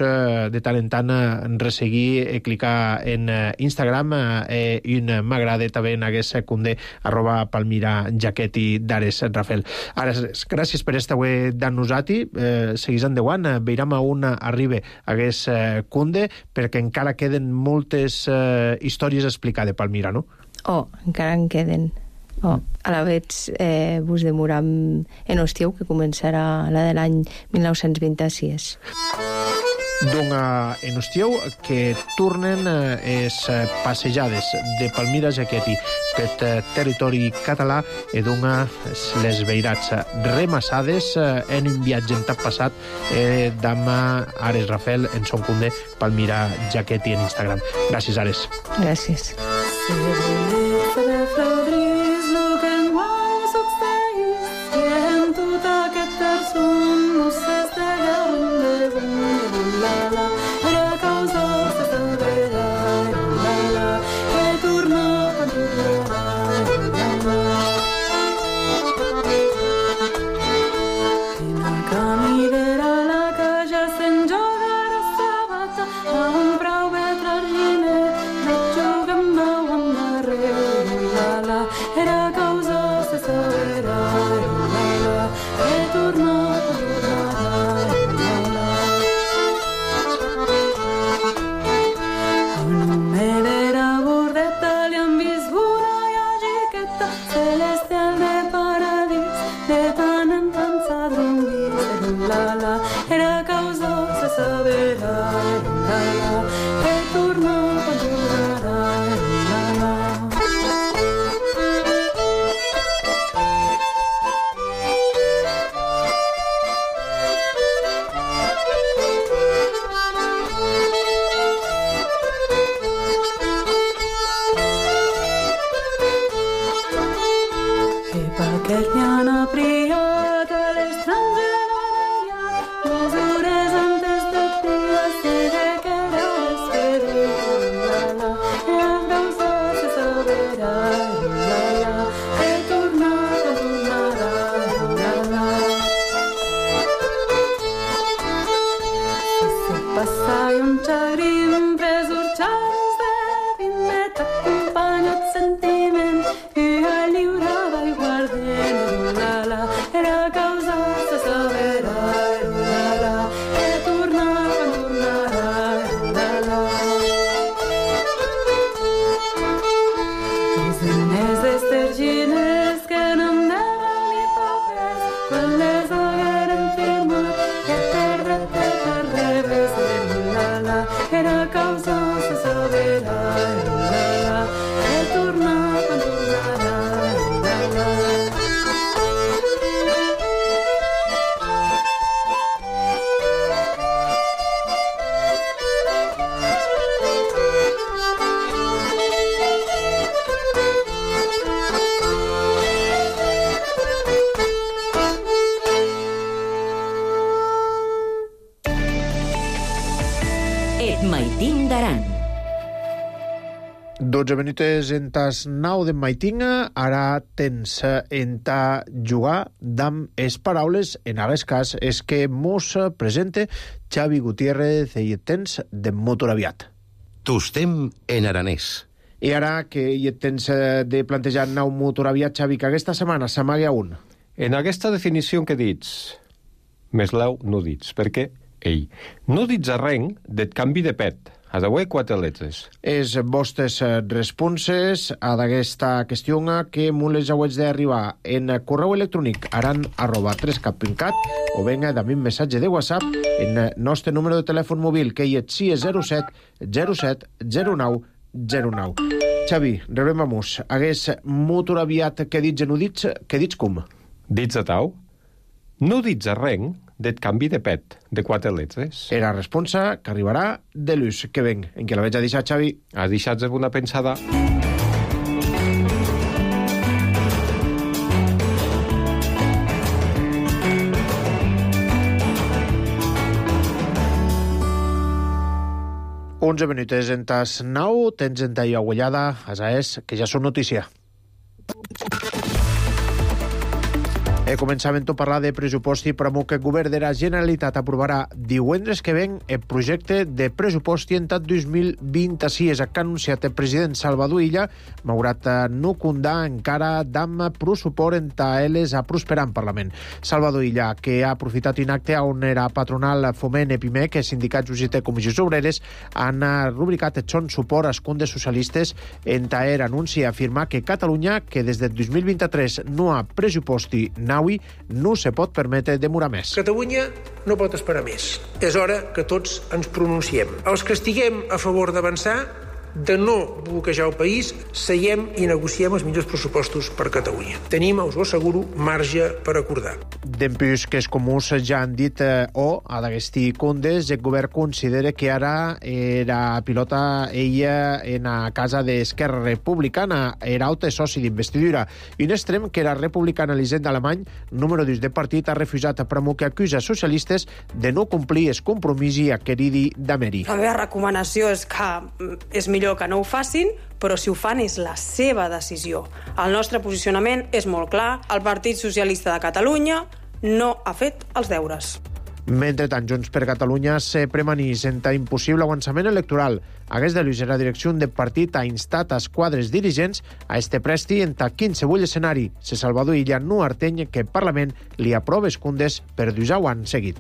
de tant en tant resseguir i clicar en Instagram i m'agrada també en hagués secundé @Palmira Jaqueti d'Ares Rafael. Ara, gràcies per esta web d'annosati, seguís endavant, veiram a on arriba hagués cunde perquè encara queden moltes històries a explicar de Palmira, no? Encara en queden. A la vez vos demoram en estiu, que començarà la de l'any 1926. En estiu que tornen les passejades de Palmira Jaqueti per territori català i les veirats remassades en un viatge en tap passat d'amb Ares Rafael en son cundé Palmira Jaqueti en Instagram. Gràcies, Ares. Gràcies. Maitín d'Aran. 12 minuts en tas 9 de Maitinga, ara tens en ta jugar d'amb es paraules, en aquest cas és que mos presente Xavi Gutiérrez i tens de motor aviat. Tostem en aranès. I ara que hi tens de plantejar nou motor aviat, Xavi, que aquesta setmana s'amaga un. En aquesta definició que dits, més leu no dits, perquè no dits arrenc del canvi de pet. A d'avui 4 letres. És vostres responses a d'aquesta qüestió que molt les hauets d'arribar en correu electrònic aran@3cap.cat o venga també un missatge de WhatsApp en nostre número de telèfon mòbil que hi és 607 07 09 09. Xavi, rebem a mus. Hagués motor aviat que dits no dits, que dits com? Dits a tau? No dits a reng det canvi de pet, de 4 letres. Era responsa que arribarà de l'ús. Que venc, en què la veig a deixar, Xavi? Has deixat una pensada. Onze minuts en tas 9, tens en ta agullada, asa és, que ja són notícia. Començàvem a parlar de pressupost i promou que el govern de la Generalitat aprovarà divendres que ven el projecte de pressupost entat 2026 que ha anunciat el president Salvador Illa, malgrat no comptar encara amb prou suport entre elles a prosperar en Parlament. Salvador Illa, que ha aprofitat un acte on era patronal Foment, EPIMEC, sindicats UGT, comissions obreres, han rubricat el son suport als condes socialistes entre el anunci i afirmar que Catalunya, que des del 2023 no ha pressuposti no se pot permetre demorar més. Catalunya no pot esperar més. És hora que tots ens pronunciem. Els que estiguem a favor d'avançar, de no bloquejar el país, seiem i negociem els millors pressupostos per Catalunya. Tenim, us ho asseguro, marge per acordar. Dempús que els comuns ja han dit a d'agustí Condes, el govern considera que ara era pilota ella en a casa d'Esquerra Republicana, era altre soci d'investidura. I un extrem que era republicana l'Hisenda Alemany, número 2 de partit, ha refusat a promou que acusa socialistes de no complir el compromís i acqueridi d'Ameri. La meva recomanació és que és millor que no ho facin, però si ho fan és la seva decisió. El nostre posicionament és molt clar. El Partit Socialista de Catalunya no ha fet els deures. Mentrestant, Junts per Catalunya se premanís en impossible avançament electoral. Hagués de la direcció del partit ha instat als quadres dirigents a este presti en qualsevol escenari. Se Salvador Illa no arteny que el Parlament li aprova els condes per 2 anys seguit.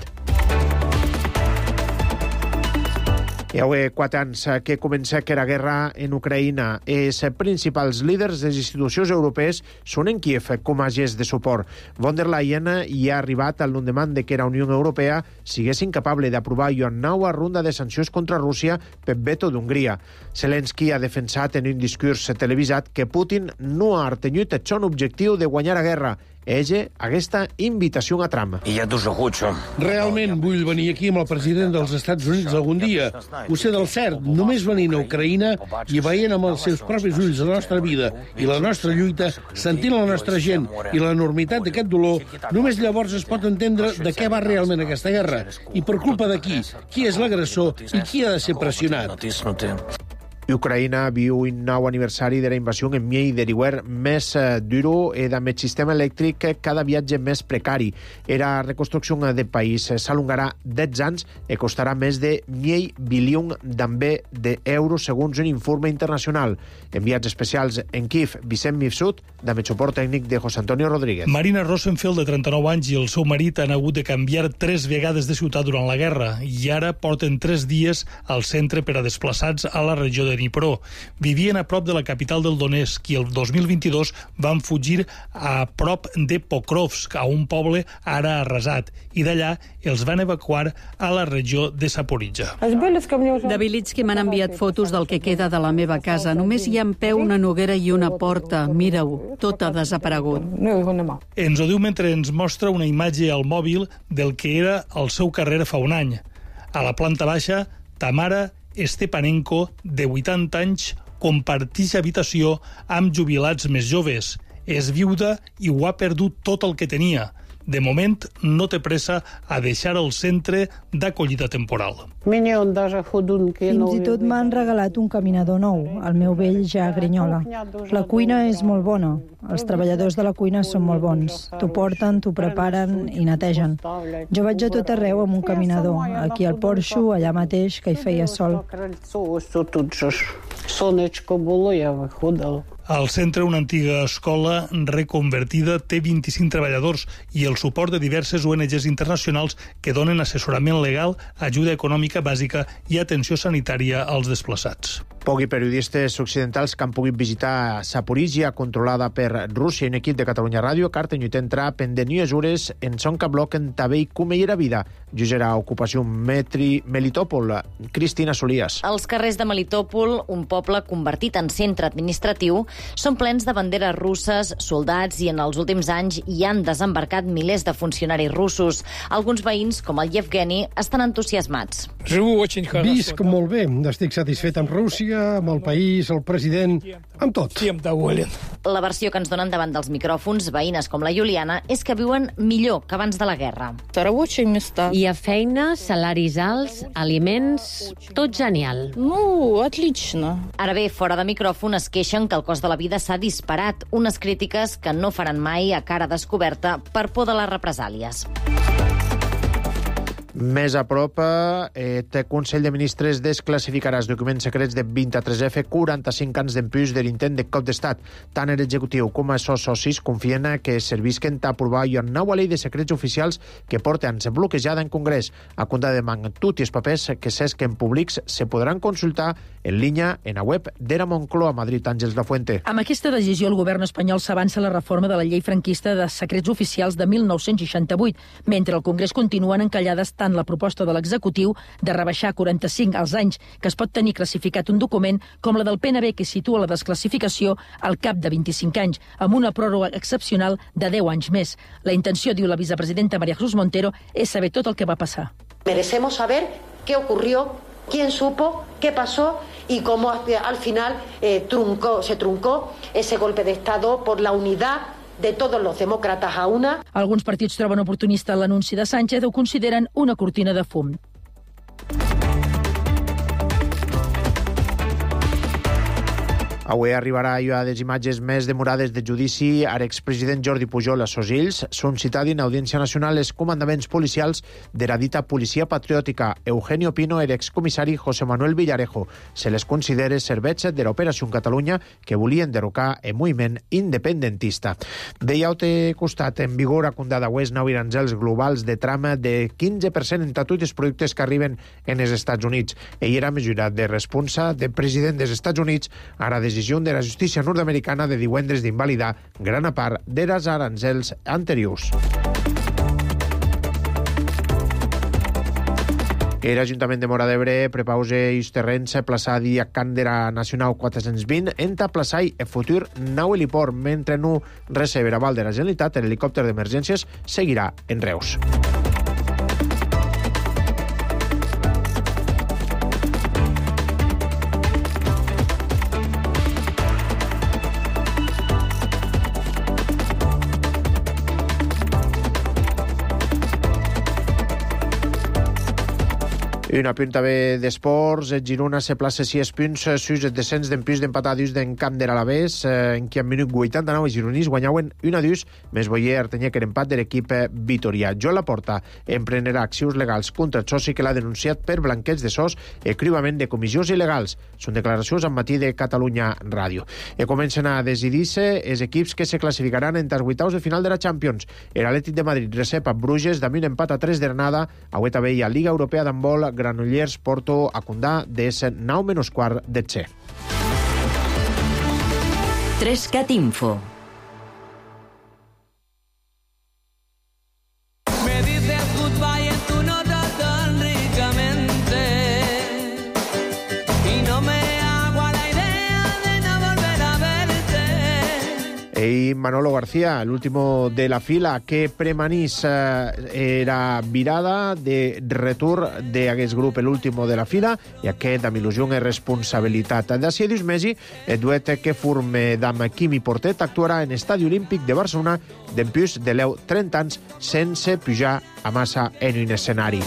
Hi ha 4 anys que comença que la guerra en Ucraïna. Els principals líders de les institucions europees són en Kiev com a gest de suport. Von der Leyen hi ha arribat al l'endemant de que la Unió Europea sigués incapable d'aprovar una nova ronda de sancions contra Rússia per veto d'Hongria. Zelensky ha defensat en un discurs televisat que Putin no ha artenyut el son objectiu de guanyar la guerra. Ella, aquesta invitació a Trump. Realment vull venir aquí amb el president dels Estats Units algun dia. Ho sé del cert, només venint a Ucraïna i veient amb els seus propis ulls la nostra vida i la nostra lluita, sentint la nostra gent i l'enormitat d'aquest dolor, només llavors es pot entendre de què va realment aquesta guerra i per culpa de qui és l'agressor i qui ha de ser pressionat. Ucraïna viu un nou aniversari de la invasió en miei deriwer més duro i amb el sistema elèctric cada viatge més precari. La reconstrucció del país s'alongarà 10 anys i costarà més de 1.000 bilions també d'euros segons un informe internacional. Enviats especials en Kiev, Vicent Mifsud, amb el suport tècnic de José Antonio Rodríguez. Marina Rosenfeld, de 39 anys, i el seu marit han hagut de canviar 3 vegades de ciutat durant la guerra i ara porten 3 dies al centre per a desplaçats a la regió de Dnipro. Vivien a prop de la capital del Donetsk i el 2022 van fugir a prop de Pokrovsk, a un poble ara arrasat, i d'allà els van evacuar a la regió de Zaporizhzhia. De Vilitsky m'han enviat fotos del que queda de la meva casa. Només hi ha en peu una noguera i una porta. Mira-ho, tot ha desaparegut. Ens ho diu mentre ens mostra una imatge al mòbil del que era el seu carrer fa un any. A la planta baixa, Tamara Stepanenko, de 80 anys, comparteix habitació amb jubilats més joves. És viuda i ho ha perdut tot el que tenia. De moment, no té pressa a deixar el centre d'acollida temporal. Fins i tot m'han regalat un caminador nou. El meu vell ja grinyola. La cuina és molt bona. Els treballadors de la cuina són molt bons. T'ho porten, t'ho preparen i netegen. Jo vaig a tot arreu amb un caminador. Aquí al porxo, allà mateix, que hi feia sol. Al centre, una antiga escola reconvertida té 25 treballadors i el suport de diverses ONGs internacionals que donen assessorament legal, ajuda econòmica bàsica i atenció sanitària als desplaçats. Pocs periodistes occidentals que han pogut visitar Zaporizhia, controlada per Rússia, i un equip de Catalunya Ràdio, carta lluita entra pendent mesures en son que bloquen també i com era vida. Jugerà ocupació Melitòpol. Cristina Solias. Els carrers de Melitòpol, un poble convertit en centre administratiu, són plens de banderes russes, soldats, i en els últims anys hi han desembarcat milers de funcionaris russos. Alguns veïns, com el Yevgeni, estan entusiasmats. Visc molt bé. Estic satisfet amb Rússia, amb el país, el president, amb tot. La versió que ens donen davant dels micròfons, veïnes com la Juliana, és que viuen millor que abans de la guerra. Hi ha feina, salaris alts, aliments, tot genial. Ara bé, fora de micròfon es queixen que el cost de la vida s'ha disparat, unes crítiques que no faran mai a cara descoberta per por de les represàlies. Més a prop, el Consell de Ministres desclassificarà els documents secrets de 23F 45 anys d'empús de l'intent de cop d'estat. Tant l'executiu com els seus socis confien que servisquen a aprovar una nova llei de secrets oficials que porta anys bloquejada en Congrés. A compte de tots els papers que s'esquen públics se podran consultar en línia en la web d'Era Moncloa, Madrid. Àngels Lafuente. Amb aquesta decisió, el govern espanyol s'avança la reforma de la llei franquista de secrets oficials de 1968, mentre al Congrés continuen encallades tant la proposta de l'executiu de rebaixar 45 als anys que es pot tenir classificat un document, com la del PNB que situa la desclassificació al cap de 25 anys, amb una pròrroga excepcional de 10 anys més. La intenció, diu la vicepresidenta María Jesús Montero, és saber tot el que va passar. Merecemos saber qué ocurrió, quién supo, qué pasó y cómo al final se truncó ese golpe de Estado por la unidad de todos los demócratas a una. Alguns partits troben oportunista l'anunci de Sánchez o consideren una cortina de fum. Avui arribarà a les imatges més demorades de judici a l'expresident Jordi Pujol a Sosills. Són citats en Audiència Nacional els comandaments policials de la dita policia patriòtica. Eugenio Pino era excomissari José Manuel Villarejo. Se les considera servets de l'Operació Catalunya que volien derrocar el moviment independentista. De l'altre costat, en vigor a Condada Oest nou aranzels globals de trama de 15% en tots els productes que arriben en els Estats Units. Ell era mesurat de responsa del president dels Estats Units, ara decisió de la justícia nord-americana de divendres d'invalidar gran part dels aranzels anteriors. L'Ajuntament de Móra d'Ebre prepausa els terrenys plaçats a Càndera Nacional 420 entre plaçar el futur nou heliport, mentre no recerva aval de la Generalitat, l'helicòpter d'emergències seguirà en Reus. Un apunt també d'esports. El Girona se plaça 6 punts sus el descens d'empús d'empatadus d'en Camp de l'Alavés, en què en minut 89 els gironins guanyaven 1-2, més Boyer tenia que l'empat de l'equip vitorià. Joan Laporta emprenderà accions legals contra el soci que l'ha denunciat per blanqueig de sos i cribament de comissions il·legals. Són declaracions al matí de Catalunya Ràdio. I comencen a decidir-se els equips que se classificaran entre els vuitaus de final de la Champions. L'Atlètic de Madrid recep a Bruges amb un empat a 3 de Granada. Avui també hi ha Liga Europea d'handbol, Granollers, Porto, a Condà, des 9:15 de Txe. 3cat Info. Me dices goodbye en tu nota tan ricamente y no me hago a la idea de no volver a verte. Y Manolo García, el último de la fila, que premanís era virada de retur d'aquest grup, l'último de la fila, i aquest amb il·lusió i responsabilitat. D'ací a 2 mesos, el duet que forme d'am Quimi Portet actuarà en Estadi Olímpic de Barcelona d'empús de 30 anys sense pujar a massa en un escenari.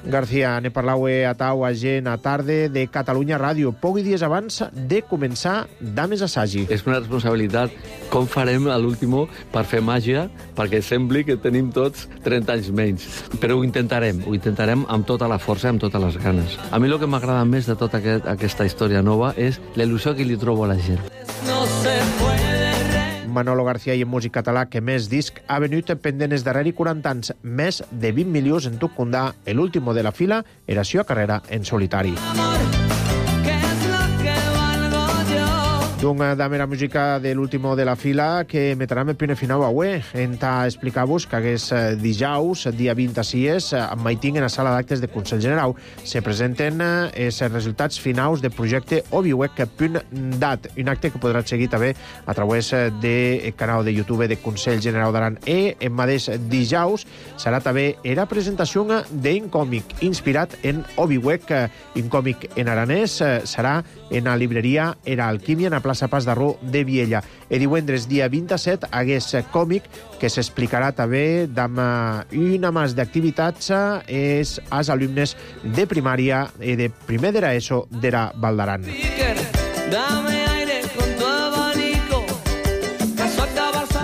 García, ne parlaue a tau a gent a tarda de Catalunya Ràdio, pocs dies abans de començar Dames Assagi. És una responsabilitat. Com farem a l'último per fer màgia, perquè sembli que tenim tots 30 anys menys. Però ho intentarem amb tota la força, amb totes les ganes. A mi el que m'agrada més de tota aquesta història nova és la il·lusió que li trobo a la gent. No se puede Manolo García i en músic català que més disc ha venut pendent els darreri 40 anys, més de 20 milions en Tucundà, l'último de la fila era seva carrera en solitari. D'un damera música de l'último de la fila que metrem el primer final avui. Enta explicar-vos que hagués dijous, dia 26, amb Maiting en la sala d'actes de Consell General se presenten els resultats finals del projecte obiwec.dat, un acte que podrà seguir també a través del canal de YouTube de Consell General d'Aran. En mateix dijous serà també la presentació d'un còmic inspirat en Obiwec, un còmic en aranès, serà en la libreria Era Alquímia, en la plaça Pas d'Arró de Viella. Divendres, dia 27, hagués còmic que s'explicarà també amb una mas d'activitats als alumnes de primària i de primer de l'ESO d'Era Valdaran.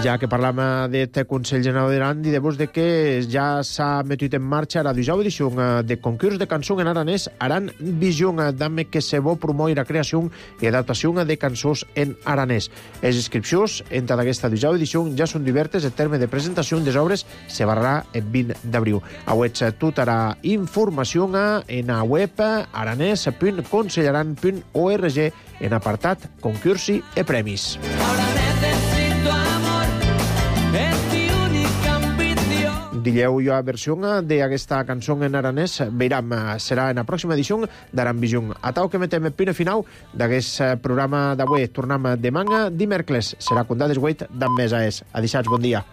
Ja que parlam d'aquest Consell General d'Aran, dir-vos que ja s'ha metut en marxa la 12a edició de concurs de cançó en aranès Aran Vision, dame que se vol promoure la creació i adaptació de cançons en aranès. Les inscripcions entre aquesta 12a edició ja són diverses. El terme de presentació des obres se barrarà el 20 d'abril. Auets tota la informació en la web aranès.consellaran.org en apartat concursi i premis. Dilleu jo a versió d'aquesta cançó en aranès, veiram, serà en la pròxima edició d'Aran Vision. A tau que metem el primer final d'aquest programa d'avui. Tornem demà dimecres. Serà contat des 8 d'en Mesa és. Adixats, bon dia.